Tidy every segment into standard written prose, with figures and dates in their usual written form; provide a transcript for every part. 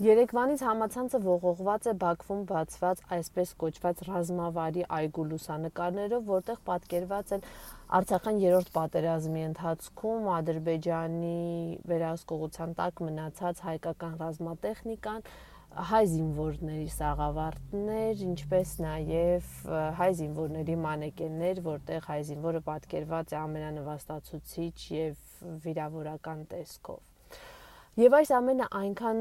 Երեկվանից համացանցը ողողված է Բաքվում բացված այսպես կոչված ռազմավարի այգու լուսանկարներով, որտեղ պատկերված են Արցախյան երրորդ պատերազմի ընթացքում Ադրբեջանի վերահսկողության տակ մնացած հայկական ռազմատեխնիկան, հայ զինվորների սաղավարտներ, ինչպես նաև հայ զինվորների մանեկեններ, որտեղ հայ զինվորը պատկերված է ամենանվաստացուցիչ եւ վիրավորական տեսքով։ Եվ այս ամենը այնքան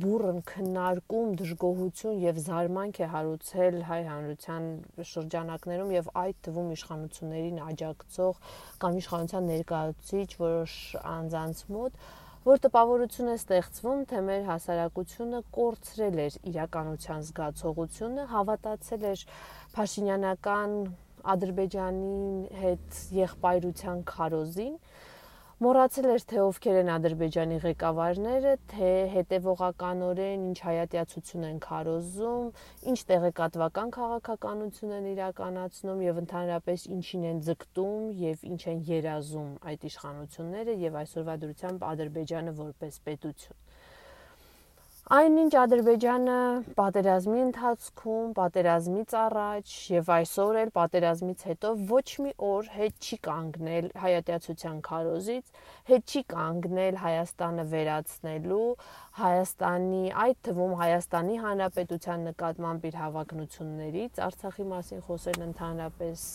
բուռն քննարկում, դժգոհություն եւ զարմանք է հարուցել հայ հանրության շրջանակներում եւ այդ թվում իշխանություններին աջակցող կամ իշխանության ներկայացուցիչ որոշ անձանց մոտ, որ տպավորություն է ստեղծվում, թե մեր հասարակությունը կորցրել էր իրականության զգացողությունը, հավատացել էր փաշինյանական Ադրբեջանի հետ եղբայրության քարոզին, մոռացել էր, թե ովքեր են Ադրբեջանի ղեկավարները, թե հետևողականորեն ինչ հայատյացություն են քարոզում, ինչ տեղեկատվական քաղաքականություն են իրականացնում եւ ընդհանրապես ինչին են ձգտում եւ ինչ են երազում այդ իշխանությունները եւ այսօրվա դրությամբ Ադրբեջանը որպես պետություն։ Այնինչ Ադրբեջանը պատերազմի ընթացքում, պատերազմից առաջ եւ այսօր էլ պատերազմից հետո ոչ մի օր հետ չի կանգնել հայատյացության քարոզից, հետ չի կանգնել Հայաստանը վերացնելու, Հայաստանի, այդ թվում Հայաստանի Հանրապետության նկատմամբ իր հավակնություններից, Արցախի մասին խոսելն ընդհանրապես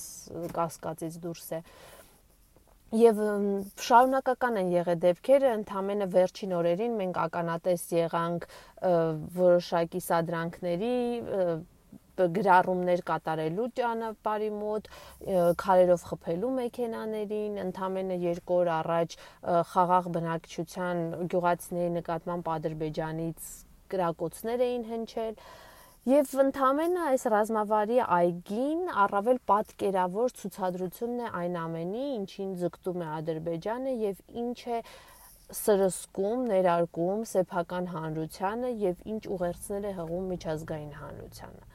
կասկածից դուրս է։ Եվ շարունակական են եղել դեպքերը, ընդամենը վերջին օրերին մենք ականատես եղանք որոշակի սադրանքների, գրառումներ կատարելու ճանապարհի մոտ, քարերով խփելու մեքենաներին, ընդամենը 2 օր առաջ խաղաղ բնակչության գյուղացիների նկատմամբ Ադրբեջանից կրակոցներ էին հնչել։ Եվ ընդամենը այս ռազմավարի այգին առավել պատկերավոր ցուցադրությունն է այն ամենի, ինչին ձգտում է Ադրբեջանը եւ ինչ է սրսկում, ներարկում սեփական հանրությանը եւ ինչ ուղերձներ է հղում միջազգային հանրությանը։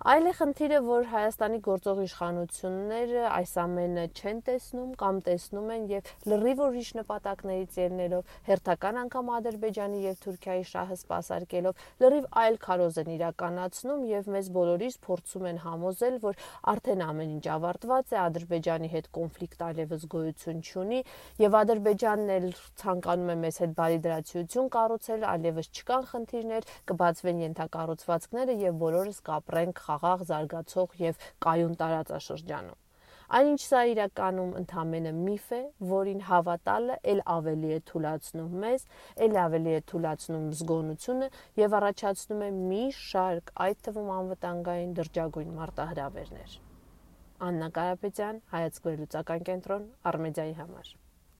Այլ է խնդիրը, որ Հայաստանի գործող իշխանությունները այս ամենը չեն տեսնում կամ տեսնում են եւ լրիվ ուրիշ նպատակներից ելնելով, հերթական անգամ Ադրբեջանի եւ Թուրքիայի շահը սպասարկելով, լրիվ այլ քարոզ են իրականացնում եւ մեզ բոլորիս փորձում են համոզել, որ արդեն ամեն ինչ ավարտված է, Ադրբեջանի հետ կոնֆլիկտ այլևս գոյություն չունի եւ Ադրբեջանն էլ ցանկանում է մեզ հետ բարիդրացիություն կառուցել, այլևս չկան խնդիրներ, կբացվեն ենթակառուցվածքները եւ բոլորս կապրենք խաղաղ զարգացող եւ կայուն տարածաշրջանում։ Այնինչ սա իրականում ընդամենը միֆ է, որին հավատալը էլ ավելի է թուլացնում մեզ, էլ ավելի է թուլացնում զգոնությունը եւ առաջացնում է մի շարք, այդ թվում անվտանգային դրճագույն մարտահրավերներ։ Աննա Կարապետյան, Հայացք վերլուծական կենտրոն, Արմեդիայի համար։